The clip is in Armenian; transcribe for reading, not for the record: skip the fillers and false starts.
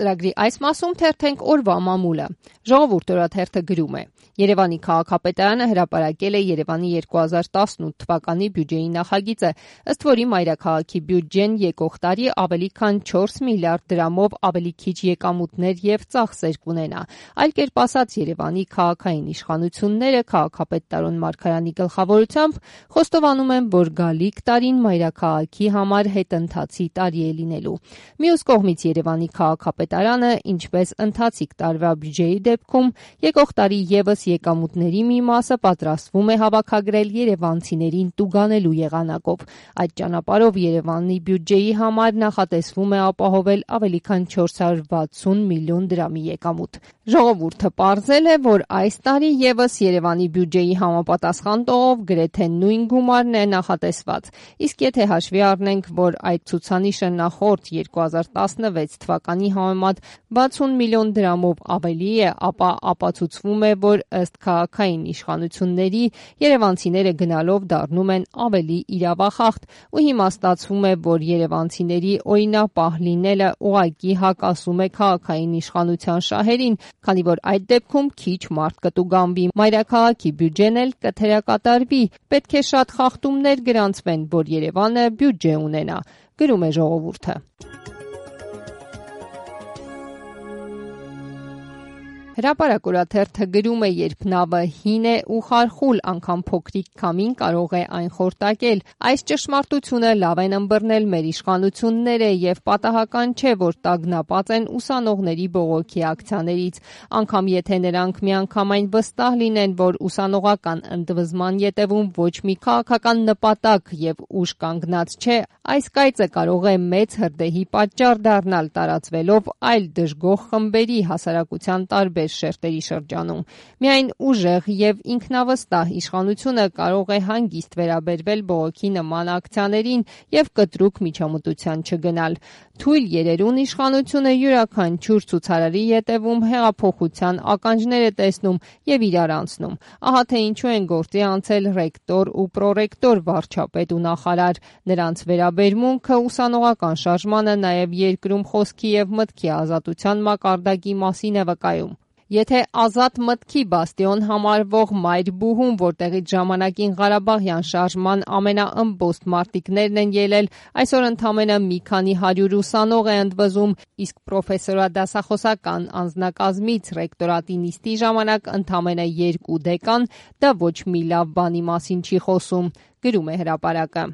Ծրագրի այս մասում թերթենք օրվա մամուլը։ Ժողովուրդ օրաթերթը գրում է. Երևանի քաղաքապետարանը հրապարակել է Երևանի 2018 թվականի բյուջեի նախագիծը, ըստ որի մայրաքաղաքի բյուջեն եկող տարի ավելի քան 4 միլիարդ դրամով ավելի քիչ եկամուտներ եւ ծախսեր կունենա։ Այլ կերպ ասած, Երևանի քաղաքային իշխանությունները քաղաքապետ Տարոն Մարգարյանի գլխավորությամբ խոստովանում են, որ գալիք տարին մայրաքաղաքի համար հետընթացի տարի է լինելու։ Մյուս կողմից Երևանի քաղաքապետարանը, ինչպես ընթացիկ տարվա բյուջեի դեպքում, եկող տարի եւս եկամուտների մի մասը պատրաստվում է հավաքագրել երևանցիներին տուգանելու եղանակով։ Այդ ճանապարհով Երևանի բյուջեի համար նախատեսվում է ապահովել ավելի քան 460 միլիոն դրամի եկամուտ։ Ժողովուրդը պարզել է, որ այս տարի եւս Երևանի բյուջեի համապատասխան տողով գրեթե նույն գումարն է նախատեսված։ Իսկ եթե հաշվի առնենք, որ այդ ցուցանիշը նախորդ 2016 թվականի համեմատ 60 միլիոն դրամով ավելի է, ապա ապացուցվում է, որ ըստ քաղաքային իշխանությունների երևանցիները գնալով դառնում են ավելի իրավախախտ ու հիմա ստացվում է, որ երևանցիների օրինապահ լինելը ուղղակի հակասում է քաղաքային իշխանության շահերին, քանի որ այդ դեպքում քիչ մարդ կտուգանվի, մայրաքաղաքի բյուջեն էլ կթերակատարվի, պետք է շատ խախտումներ գրանցվեն, որ Երևանը բյուջե ունենա, գրում է ժողովուրդը։ Հրապարակ օրաթերթը գրում է, երբ նավը հին է ու խարխուլ, անգամ փոքրիկ քամին կարող է այն խորտակել։ Այս ճշմարտությունը լավ են ըմբռնել մեր իշխանությունները եւ պատահական չէ, որ տագնապած են ուսանողների բողոքի ակցիաներից։ Անգամ եթե նրանք միանգամայն վստահ լինեն, որ ուսանողական ընդվզման ետևում ոչ մի քաղաքական նպատակ եւ ուժ կանգնած չէ, այս կայծը կարող է մեծ հրդեհի պատճառ դառնալ, տարածվելով այլ դժգոհ խմբերի հասարակության տարբեր շերտերի շրջանում։ Միայն ուժեղ եւ ինքնավստահ իշխանությունը կարող է հանգիստ վերաբերվել բողոքի նման ակցիաներին եւ կտրուկ միջամտության չգնալ։ Թույլ երերուն իշխանությունը յուրաքանչյուր ցուցարարի ետևում հեղափոխության ականջներ է տեսնում եւ իրար անցնում։ Ահա թե ինչու են գործի անցել ռեկտոր ու պրոռեկտոր, վարչապետ ու նախարար։ Նրանց վերաբերմունքը ուսանողական շարժմանը նաեւ երկրում խոսքի եւ մտքի ազատության մակարդակի մասին է վկայում։ Եթե ազատ մտքի բաստիոն համարվող Մայր-Բուհում, որտեղից ժամանակին Ղարաբաղյան շարժման ամենաըմբոստ մարտիկներն են ելել, այսօր ընդամենը մի քանի 100 ուսանող է ընդվզում, իսկ պրոֆեսորադասախոսական անձնակազմից ռեկտորատի նիստի ժամանակ ընդամենը 2 դեկան, դա ոչ մի լավ բանի մասին չի խոսում, գրում է հրապարակը։